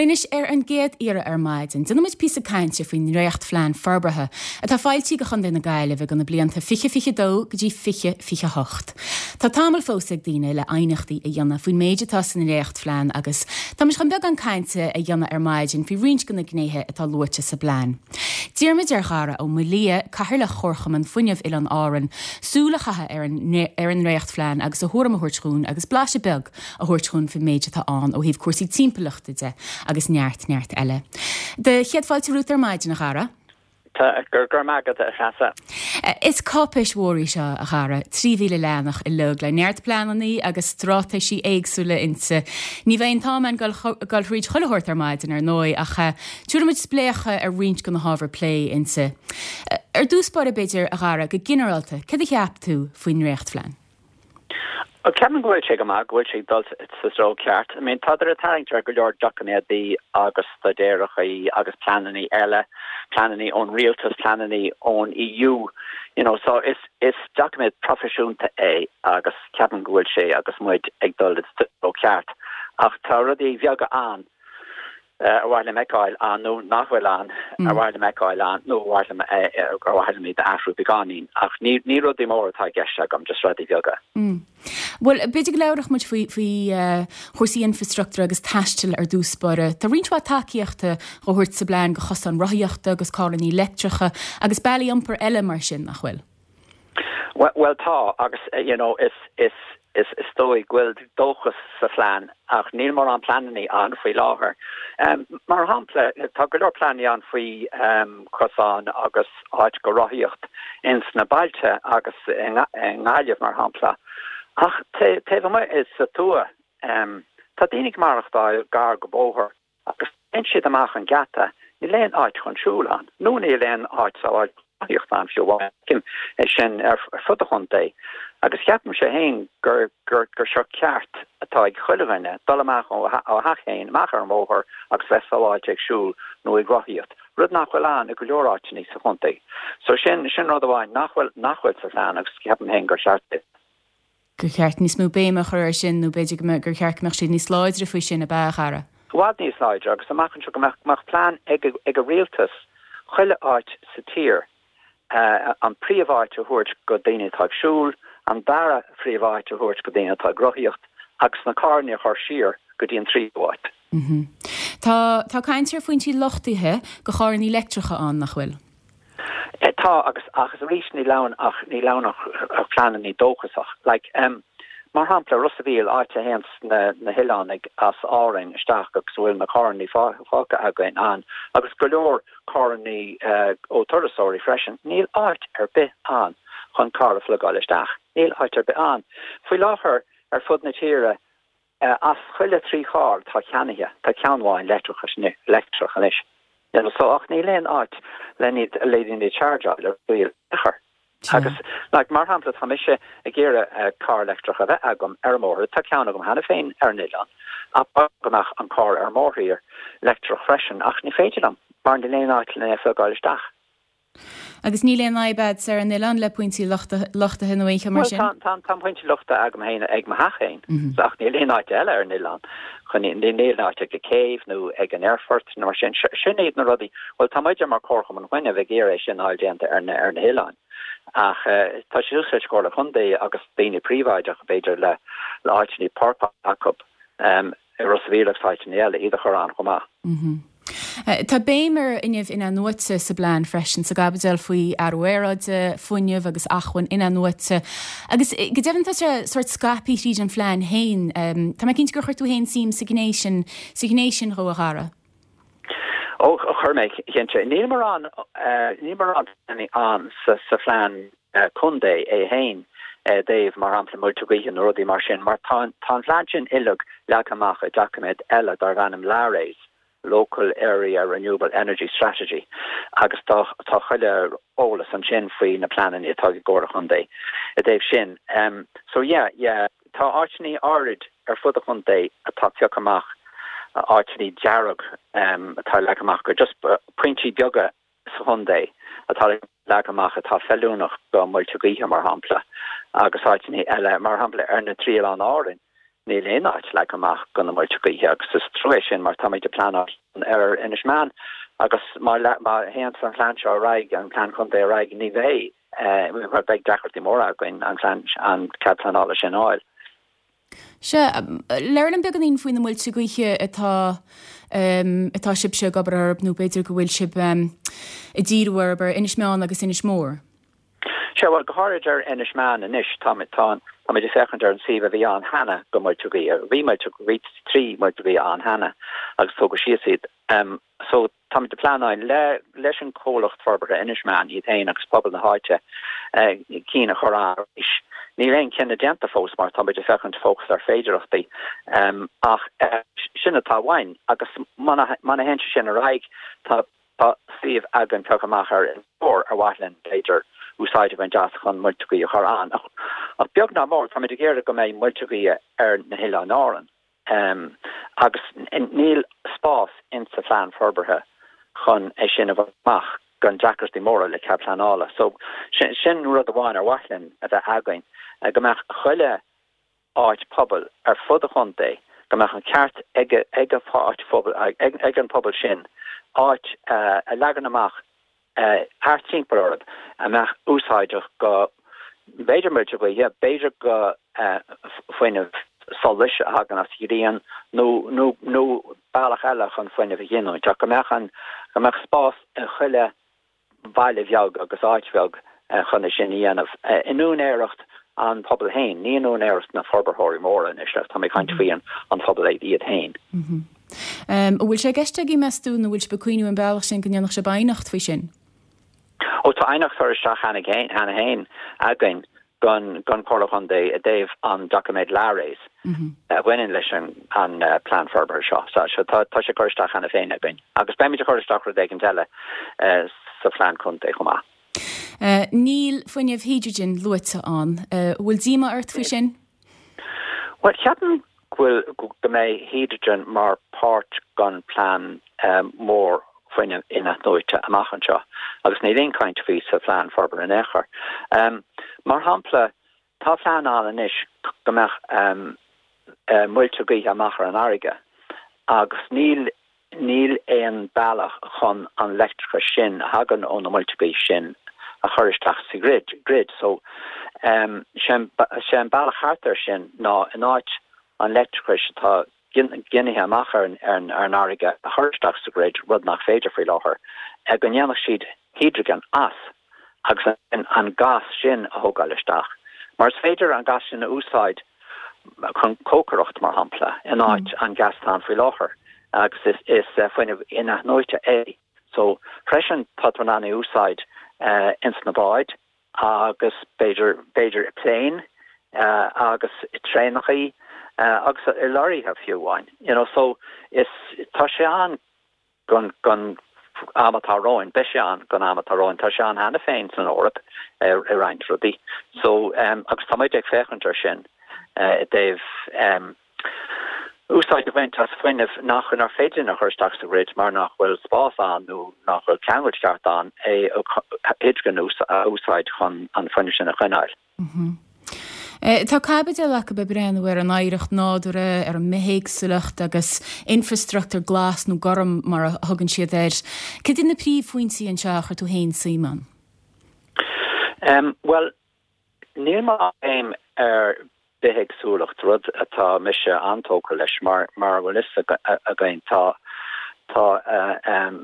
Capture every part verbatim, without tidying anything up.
Bhuel anois ar an gcéad iarraidh ar maidin, déanfaimid píosa cainte faoin ndréachtphlean forbartha atá foilsithe do Chontae na Gaillimhe do na blianta fiche fiche dó go dtí fiche fiche hocht. Tá tamall fós ag daoine le aighneachtaí a dhéanamh faoin méid atá san ndréachtphlean agus táimid chun beagán cainte a dhéanamh ar maidin faoi roinnt de na gnéithe atá luaite sa bplean. D'iarr muid ar Dhara Ó Maoildhia, Cathaoirleach Chomharchumann Fuinnimh Oileáin Árann, súil a chaitheamh ar an ar an ndréachtphlean agus a thuairim a thabhairt dúinn agus blaiseadh beag a thabhairt dúinn faoin méid atá ann ó thaobh cúrsaí timpeallachta de agus neart neart eile. De chéad fáilte romhat ar maidin a Dhara? Tá gur agad a chasa. Is cáipéis mhór í seo a Dhara, trí mhíle leathanach uilig le neart pleananna agus straitéisí éagsúla inti. Ní bheidh an t-am againn dul thríd chuile shórt ar maidin ar ndóigh ach tabharfaimid spléachadh ar roinnt de na hábhair plé inti. Ar dtús báire b'fhéidir a Dhara go ginearálta, cad a cheap tú faoin ndréachtphlean? Ceapaim go bhfuil sé go maith go bhfuil sé dul sa treo ceart. I mean tá ag tarraingt ar go leor doiciméadaí agus staidéarachaí agus pleananna eile, pleananna ón rialtas, pleananna ón EU. You know, so is is doiciméad proifisiúnta é agus ceapaim go bhfuil sé agus muid ag dul sa treo ceart. Ach tá rudaí bheaga ann ar mhaith liom a fheiceáil ann nó nach bhfuil ann ar mhaith liom a fheiceáil ann nó mhaith liom ar mhaith liom athrú beagáinín ach ní ní rudaí mór atá i gceist agam just rudaí beaga. Mm. Well b'fhéidir go labhródh muid faoi faoi uh, chúrsaí infrastruchtúr agus taistil ar dtús báire. Tá roinnt mhaith tacaíochta á thabhairt sa bplean do chosáin rothaíochta agus carranna leictreacha agus bealaí iompair eile mar sin nach bhfuil. Well, well tá agus uh, you know is is is is dóigh go bhfuil dóchas sa phlean ach níl mórán pleananna ann faoi láthair. Um, mar shampla tá go leor pleananna ann faoi um, cosán agus áit go rothaíocht ins na bailte agus i nGaillimh mar shampla. Ach taobh amuigh is sa tuath um, tá daoine ag maireachtáil gar go bóthar agus téann siad amach an geata níl aon áit chun siúl ann. Nó níl aon áit rothaíocht ann fiú é sin ar fud an chontae. Agus ceapaim sé féin gur gur gur seo ceart atá ag chuile dhuine dul amach ó theach féin amach ar an mbóthar agus bheith sábháilte ag siúl nó ag rothaíocht. Rud nach bhfuil ann i go leor áiteanna sa chontae. So sin sin rud amháin nach bhfuil nach bhfuil sa phlean agus ceapaim féin gur cheart. Gur cheart níos mó béime a chur air sin nó b'fhéidir gur cheart go mbeadh siad níos láidre faoi sin ab ea a Dhara. I bhfad níos láidre agus amach anseo go mbeadh plean ag ag a rialtas chuile áit sa tír uh, an príomháit a thabhairt go daoine atá ag siúl, an dara phríomháit a thabhairt go daoine atá ag rothaíocht agus na carranna a chur siar go dtí an tríú háit. Mm -hmm. Tá tá caint ar phointí luchtaithe do charranna leictreacha ann nach bhfuil. Eh, tá agus agus arís níl ann ach níl ann ach pleananna dóchasach. Like, um, mar shampla Ros an Mhíl áit a théann na, na hoileánaigh as Árainn isteach agus bhfuil na carranna fágtha againn ann agus go leor carranna uh, ó turasóirí freisin, níl áit ar bith ann chun carr a phlugáil isteach. Níl áit ar bith ann. Faoi láthair ar fud na tíre uh, as chuile trí charr tá ceannaithe tá ceann amháin leictreach leictreach anois. You know, so ach níl aon áit le le chargeáil ar bhfuil agus like, mar shampla tá mise ag iarraidh uh, carr leictreach a bheith agam ar mór tá ceann agam cheana féin ar an oileán ach nach an carr ar mórthír leictreach freisin ach ní féidir liom mar níl aon áit le phlugáil isteach. Agus níl aon fhadhb ar an oileán le pointí luchtaithe nó aon mar sin? Tá tá pointí luchtaithe agam féin ag mo theach féin ach níl aon áit eile ar an oileán chun níl áit ag céibh nó ag an aerfort nó sin sin iad na rudaí well tá muid mar Chomharchumann Fuinnimh ag iarraidh sin a dhéanamh ar na ar na hoileáin. Ach uh, tá sé úsáid Comhairle Contae agus daoine príobháideach b'fhéidir le le áiteanna páirceála acu um, i Ros an Mhíl áiteanna eile iad a chur ann chomh maith. Mm -hmm. Tá béim ar fhuinneamh in-athnuaite sa bplean freisin sa gcaibidil faoi athrú aeráide, fuinneamh agus acmhainn in-athnuaite. Agus go deimhin tá sé sórt scaipthe tríd an phlean féin, Tá mé cinnte gur chuir tú féin suim sa ghné sin sa ghné sin dhó a Dhara. Ó chuir mé cinnte níl mórán níl mórán ann sa sa phlean contae é féin dóibh mar shampla muilte gaoithe nó rudaí mar sin mar tá tá phlean sin uilig leagtha amach i doiciméad eile darb ainm LARES. Local Area Renewable Energy Strategy agus tá tá chuile eolas ansin faoi na pleananna atá ag Comhairle Contae i dtaobh sin. Um, so yeah, yeah, tá áiteanna áirid ar fud an chontae atá pioctha amach áiteanna dearg um, atá leagtha amach gur just pointí beaga sa chontae atá leagtha amach atá feiliúnach go muilte gaoithe mar shampla agus áiteanna eile mar shampla ar na trí oileán Árainn. Níl aon áit leagtha amach do na muilte gaoithe agus is trua é sin mar táimid ag pleanáil ar Inis Meáin agus má má théann an plean seo ar aghaidh, an plean contae ar aghaidh, ní bheidh, beidh deacrachtaí móra againn an plean, an cead pleanála sin a fháil. Sea, labhair liom beagáinín faoi na muilte gaoithe atá atá sibhse ag obair orthu nó b'fhéidir go bhfuil sibh ag díriú orthu ar Inis Meáin agus Inis Mór. Sea, bhuel, go háirid ar Inis Meáin anois, táimid, tá, táimid ag féachaint ar an suíomh a bhí ann cheana do muilte gaoithe. Bhí muilte, bhí trí muilte gaoithe ann cheana agus tógadh síos iad. Um, so táimid ag pleanáil le, leis an comhlacht forbartha Inis Meáin iad féin agus pobal na háite uh, cinn a chur ann arís. Níl aon cinneadh déanta fós mar táimid ag féachaint fós ar féidearthachtaí um, ach uh, sin atá uainn agus má má théann sé sin ar aghaidh tá Tá suíomh againn pioctha amach ar Inis Mór ar mhaith linn, b'fhéidir, úsáid a bhaint as chun muilte gaoithe a chur ann. Ach beag ná mór, táimid ag iarraidh go mbeidh muilte gaoithe ar na hOileáin Árann. Agus níl spás insa phlean forbartha chun é sin a bhaint amach gan deacrachtaí móra le cead pleanála. So sin rud amháin ar mhaith linn a bheith againn, go mbeadh chuile áit pobail ar fud an chontae, go mbeadh an ceart ag ag an áit phobail, ag an pobal sin áit a leagan amach thart timpeall orthu a mbeadh úsáideach go, b'fhéidir muilte gaoithe, b'fhéidir go fuinneamh solais a thagann as grian nó nó nó bealach eile chun fuinneamh a ghiniúint ach go mbeadh an go mbeadh spás i chuile bhaile bheag agus áit bheag chun é sin a dhéanamh in úinéireacht an pobail féin, ní in úinéireacht na forbarthóirí móra anois, tá mé ag caint faoi an phobal iad féin. An bhfuil sé i gceist agaibh meas tú nó bhfuil sibh ag cuimhniú an bealach sin go ndéanfadh sibh aighneacht faoi sin? Ó tá aighneacht curtha isteach cheana féin againn don don Chomhairle Chontae i dtaobh an doiciméad Lares a bhaineann leis an an plean forbartha seo. So so tá tá sé curtha isteach cheana féin againn agus beimid ag cur isteach rud éigin eile sa phlean contae chomh maith. Níl fuinneamh hidrigin luaite ann. An bhfuil díomá ort faoi sin? Bhuel ceapaim go bhfuil go mbeidh hidrigin mar páirt den plean mór fuinneamh inathnuaite amach anseo agus níl aon caint faoi sa phlean forbartha in aon chor. Mar shampla, tá plean ann anois go mbeadh muilte gaoithe amach ar an fharraige agus níl níl aon bealach chun an leictreachas sin a thagann ó na muilte gaoithe sin a chur isteach sa grid, grid. So sé an bealach thart air sin ná in áit an leictreachais atá ginithe amach ar an fharraige a chur isteach sa grid, rud nach féidir faoi láthair, go ndéanfadh siad hidrigin as agus an gás sin a thógáil isteach. Mar is féidir an gás sin a úsáid chun cócaireacht, mar shampla, in áit an gas atá ann faoi láthair agus is is fuinneamh inathnuaite é. So freisin tá tú in ann é a úsáid ins na báid agus b'fhéidir b'fhéidir i pléin agus i traenachaí agus i lorraithe fiú amháin. You know, so is tá sé ann don don am atá romhainn, beidh sé ann don am atá romhainn, tá sé ann cheana féin san Eoraip i roinnt rudaí. So um, agus tá muid ag féachaint ar sin i dtaobh um, úsáid a bhaint as fuinneamh nach nach féidir a chur isteach sa grid mar nach bhfuil spás ann nó nach bhfuil ceangal ceart ann é hidrigin a úsáid chun an fuinneamh sin a choinneáil. Tá caibidil acu ag breathnú ar an oidhreacht nádúrtha, ar an mbithéagsúlacht agus infreastruchtúr glas nó gorm mar a thugann siad air. Cad iad na príomhphointí anseo a chuir tú féin suim ann? Um, well, níl mórán béim ar bithéagsúlacht, rud atá mise an-tógtha leis mar mar a bhfuil fhios againn tá tá um,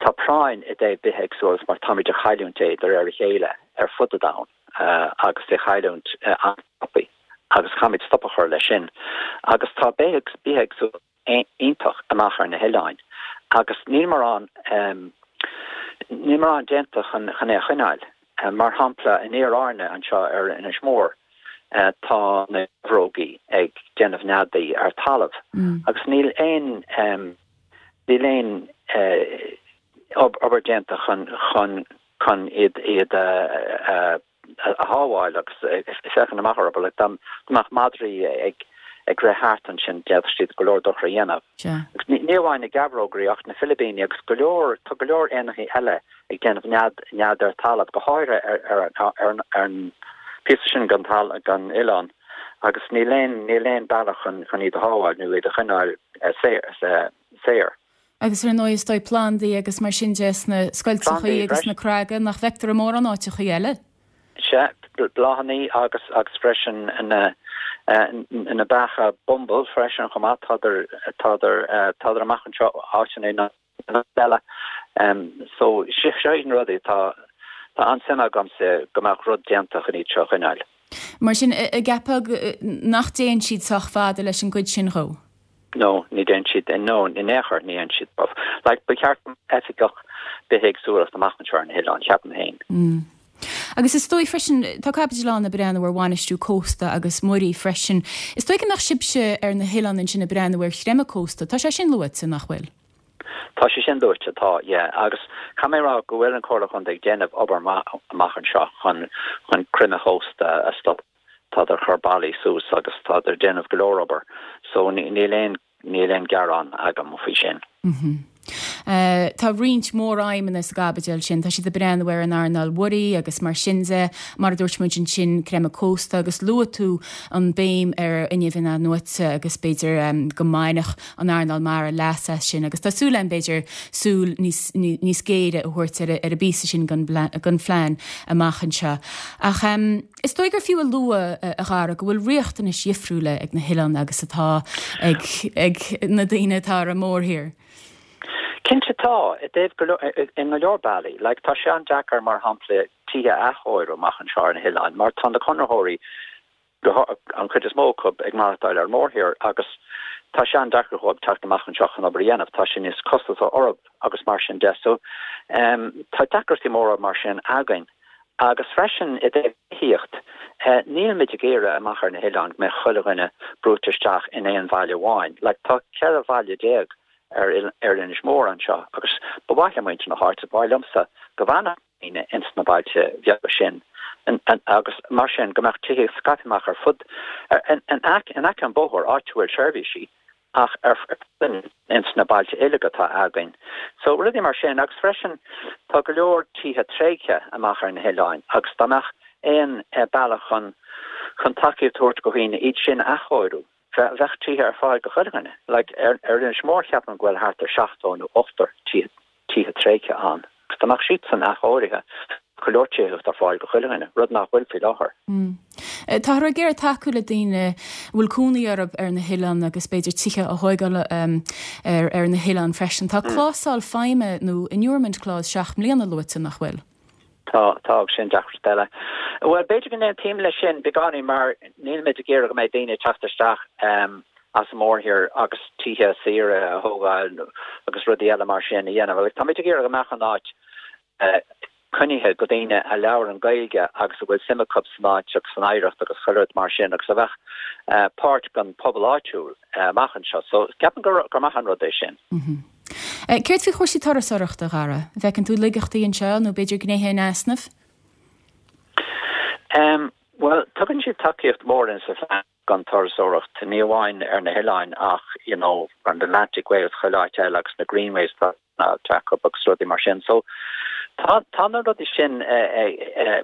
tá práinn i dtaobh bithéagsúlacht mar táimid ag cailliúint é de réir a chéile ar fud an domhain agus é chailliúint an-tapaidh agus caithfimid stop a chur leis sin. Agus tá bithéagsúlacht iontach amach ar na hoileáin agus níl mórán níl mórán déanta chun chun é a choinneáil. Mar shampla in Iar-Árainn anseo ar Inis Mór tá na geabhrógaí ag déanamh neadaí ar talamh agus níl aon níl aon obair déanta chun chun chun iad iad a a shábháil agus féachaint amach orthu like dá mbeadh madraí ag ag rith thart ansin d'fhéadfadh siad go leor dochar a dhéanamh. Agus ní ní amháin na geabhrógaí ach na filibíní agus go leor tá go leor éanachaí eile ag déanamh nead nead ar talamh go háirithe ar ar ar ar an píosa sin den tal den oileán agus níl aon níl aon bealach chun chun iad a shábháil nó iad a choinneáil saor saor. Agus ar ndóigh is dóigh plandaí agus mar sin de sna scoilteachaí agus na creaga nach bhfeictear i mórán áiteachaí eile. Sea, bláthanna agus agus freisin na na beacha bumble freisin chomh maith tádar tádar tádar amach anseo áiteanna eile. Um, so seo na rudaí tá tá an-suim agamsa go mbeadh rud déanta chun iad seo a choinneáil. Mar sin an gceapfá nach dtéann siad sách fada leis an gcuid sin dhó? No, ní dhéann siad no in aon chor ní dhéann siad. Like ba cheart oifigeach bithéagsúlacht amach anseo ar na hoileáin ceapaim féin. Mm. Agus is dóigh freisin tá caibidil ann ag breathnú ar bhainistiú cósta agus muirí freisin. Is dóigh go mbeadh sibhse ar na hoileáin ansin ag breathnú ar chreimeadh cósta, Tá sé sin luaite nach bhfuil? Tá sé sin luaite tá yeah agus caithfidh mé rá go bhfuil an Chomhairle Contae ag déanamh obair amach anseo chun chun creimeadh cósta a stop Tá ar chur ballaí suas agus tá ar déanamh go leor obair so níl aon níl aon gearán agam faoi sin. Mm -hmm. Uh, tá roinnt mór-aidhmeanna sa gcaibidil sin, tá siad ag breathnú ar an earnáil mhuirí agus mar sin de mar a dúirt muid ansin creimeadh cósta agus luaigh tú an béim ar fhuinneamh in-athnuaite agus b'fhéidir um, go mbainfeadh an earnáil mara leas as sin agus tá súil ann b'fhéidir súil níos, níos géire a thabhairt ar, ar an bpíosa sin den phlean amach anseo. Ach um, is dóigh gur fiú a lua a Dhara go bhfuil riachtanais dhifriúla ag na hoileáin agus atá ag, ag na daoine atá ar an mórthír. Cinnte tá i dtaobh in go leor bealaí, like tá sé an-deacair mar shampla tithe a athchóiriú amach anseo ar na hoileáin, mar tá na conraitheoirí an chuid is mó acu ag maireachtáil ar mórthír agus tá sé an-deacair dóibh teacht amach anseo chun obair a dhéanamh, tá sin níos costasaí orthu agus mar sin de so um, tá deacrachtaí móra mar sin againn. Agus freisin i dtaobh tithíocht, uh, níl muid ag iarraidh amach ar na hoileáin go mbeadh chuile dhuine brúite isteach in aon bhaile amháin. Like, tá ceithre bhaile déag ar ar Inis Mór anseo agus ba mhaith le muintir na háite ba mhaith liomsa go bhfanfadh daoine ins na bailte beaga sin agus mar sin go mbeadh tithe scaipthe amach ar fud in aice an bóthar áit a bhfuil seirbhísí ach ar ins na bailte uilig atá againn. So rudaí mar sin agus freisin tá go leor tithe tréigthe amach ar na hoileáin agus dá mbeadh aon eh, bealach chun chun tacaíocht a thabhairt do dhaoine iad sin a athchóiriú. Bheadh tithe ar fáil do chuile dhuine, like ar ar Inis Mór ceapaim go bhfuil thart ar seachtó nó ochtó tithe tréigthe ann. Agus dá mbeadh siad san athchóirithe go leor tithe ar fáil do chuile dhuine, rud nach bhfuil faoi láthair. Mm. Táthar ag iarraidh tacú le daoine a bhfuil cónaí orthu ar na hoileáin agus b'fhéidir tithe a thógáil um, ar, ar na hoileáin freisin. Tá mm. clásal feidhme nó inurement clause seacht mbliana luaite nach bhfuil. Tá tá sin deacracht eile. Well b'fhéidir go n-aontaím leis sin beagáinín mar níl muid ag iarraidh go mbeidh daoine teacht isteach um, as an mórthír agus tithe saora a thógáil agus rudaí eile mar sin a dhéanamh. Like, tá muid ag iarraidh go mbeadh an áit uh, coinnithe do dhaoine a labhrann Gaeilge agus a bhfuil suim acu san áit agus san oidhreacht agus chuile rud mar sin agus a bheadh uh, páirt den pobal áitiúil uh, amach anseo. So ceapaim gur gur maith an rud é sin. Mm -hmm. Céard faoi chúrsaí turasóireachta a Dhara, bhfeiceann tú laigeachtaí anseo nó b'fhéidir gnéithe in easnamh? Um, well, tugann siad tacaíocht mór in sa phlean don turasóireacht ní amháin ar na hoileáin ach you know, an Atlantic Way chuile áit eile agus na Greenways na agus rudaí mar sin. So tá tá na rudaí sin eh, eh, eh,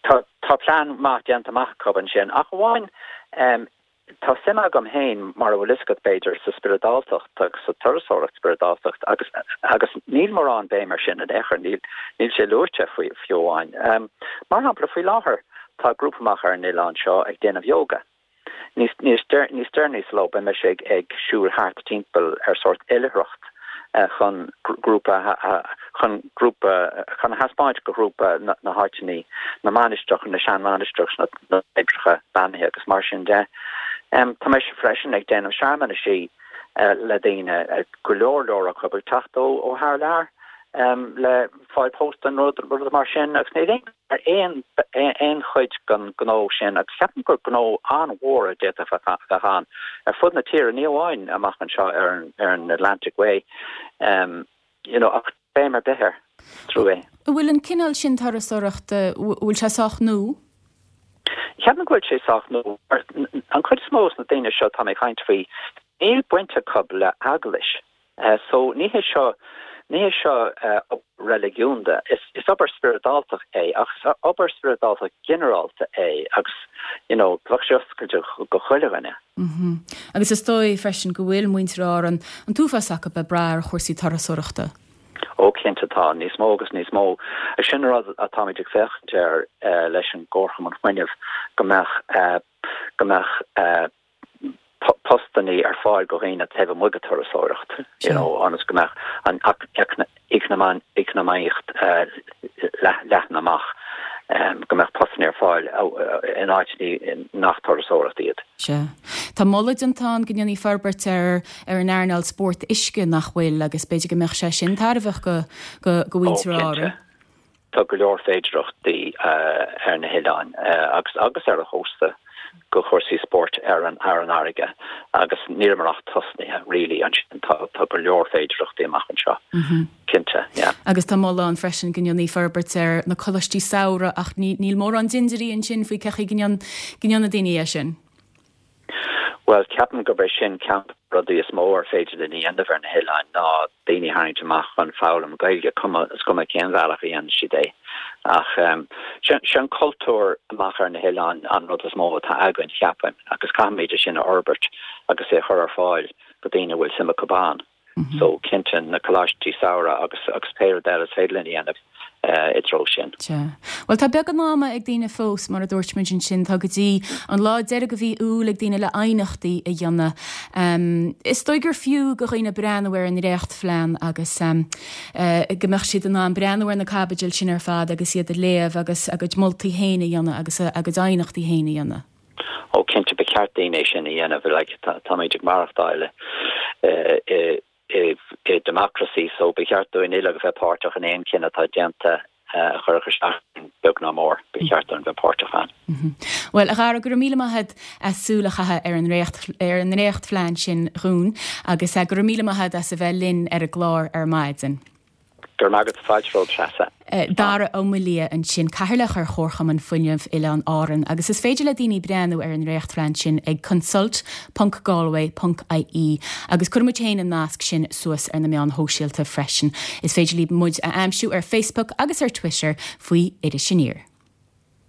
tá tá plean maith déanta amach acu ansin ach amháin um, Tá suim agam féin mar a bhfuil a fhios agat b'fhéidir sa spioradáltacht agus sa turasóireacht spioradáltacht agus agus níl mórán béim air sin in aon chor níl níl sé luaite faoi fiú amháin. Um, mar shampla faoi láthair tá grúpa amach ar an oileán seo ag déanamh yoga. Níos níos níos deireanaí sa ló beidh mise ag ag siúl thart timpeall ar sórt oilithreacht uh, chun grúpa chun grúpa chun thaispeáint do ghrúpa na, na háiteanna na mainistreach na seanmhainistreach na na oibreacha beannaithe agus mar sin de. Um, tá mise freisin ag déanamh searmanaisí uh, le daoine uh, go leor leor acu ag teacht ó ó thar lear um, le fáil post an rud rud mar sin agus ní ar aon aon chuid den gnó sin agus ceapaim gur gnó an-mhór a d'fhéadfadh bheith ann ar fud na tíre ní amháin amach anseo ar an ar an Atlantic Way um, you know, ach béim ar bith air trua. An bhfuil an cineál sin turasóireachta bhfuil sé sách nua? Ceapaim go bhfuil sé sách nua an chuid is mó na daoine seo tá mé ag caint faoi níl baint acu le eaglais. Uh, so ní hé seo Ní hé seo obair reiligiúnda, is is obair spioradáltach é ach is obair spioradáltach ginearálta é agus you know bheadh sé oscailte go chuile dhuine. Agus is dóigh freisin go bhfuil muintir Árann an t-uafás acu ag brath ar chúrsaí turasóireachta. Ó cinnte tá níos mó agus níos mó. Sin rud atáimid ag féachaint air leis an gComharchumann Fuinnimh go mbeadh go mbeadh postannaí ar fáil go dhaoine taobh amuigh de turasóireacht you know ionas go mbeadh an eacnamaíocht leathan amach go mbeadh postannaí ar fáil in áiteanna nach turasóireacht iad. Sea. Tá moladh déanta ann go ndéanfaí forbairt ar ar an earnáil spórt uisce nach bhfuil agus b'fhéidir go mbeadh sé sin tairbheach go go go mhuintir Árann. Tá go leor féidireachtaí ar na hoileáin agus agus ar an chósta go chúrsaí spóirt ar an ar an fharraige agus níl ach tosnaithe really ansin tá tá go leor féidireachtaí amach anseo. Cinnte, yeah. Agus tá moladh ann freisin go ndéanfaí forbairt ar na coláistí samhraidh ach ní níl mórán dindirí ansin faoi cé go ndéanann daoine é sin. Well ceapaim gurb é sin ceann de na rudaí is mó ar féidir linn a dhéanamh ar na hoileáin ná daoine a tharraingt amach chun foghlaim Gaeilge cuma is cuma cén bhealach a dhéanann siad é. Ach um, sin cultúr amach ar na hoileáin an rud is mó atá againn ceapaim agus caithfimid é sin a fhorbairt agus é chur ar fáil go daoine bhfuil suim acu ann. Mm -hmm. So cinnte na coláistí samhraidh agus agus pé rud eile is féidir linn a dhéanamh uh, i dtreo sin. Well tá beagán ama ag daoine fós mar a dúirt muid ansin tá go dtí an lá deiridh de mhí Iúil ag daoine le aighneachtaí a dhéanamh. Um, is dóigh gur fiú go dhaoine breathnú ar an ndréachtphlean agus um, uh, go mbeadh siad in ann breathnú ar na caibidil sin ar fad agus iad a léamh agus a gcuid moltaí féin a dhéanamh agus a gcuid aighneachtaí féin a dhéanamh. Ó cinnte ba cheart daoine é sin a dhéanamh like, táimid ag maireachtáil uh, uh, i i democracy so ba cheart dúinn uilig a bheith páirteach in aon chinneadh atá déanta a chuirfeadh isteach beag ná mór ba cheart dúinn bheith páirteach ann. Mhm. Well a Dhara go raibh míle maith agat as súil a chaitheamh ar an réacht ar an ndréachtphlean sin dhúinn agus go raibh míle maith agat as a bheith linn ar an gclár ar maidin. Gur magat fáid treasa. Eh, Dara Ó Maoildhia ansin cathaoirleach ar Chomharchumann Fuinnimh Oileáin Árann, agus is féidir le daoine breathnú ar an ndréachtphlean sin ag consult.galway.ie agus cuirfimid féin an nasc sin suas ar na meáin shóisialta freisin. Is féidir libh muid a aimsiú ar Facebook agus ar Twitter faoi Iris Aniar.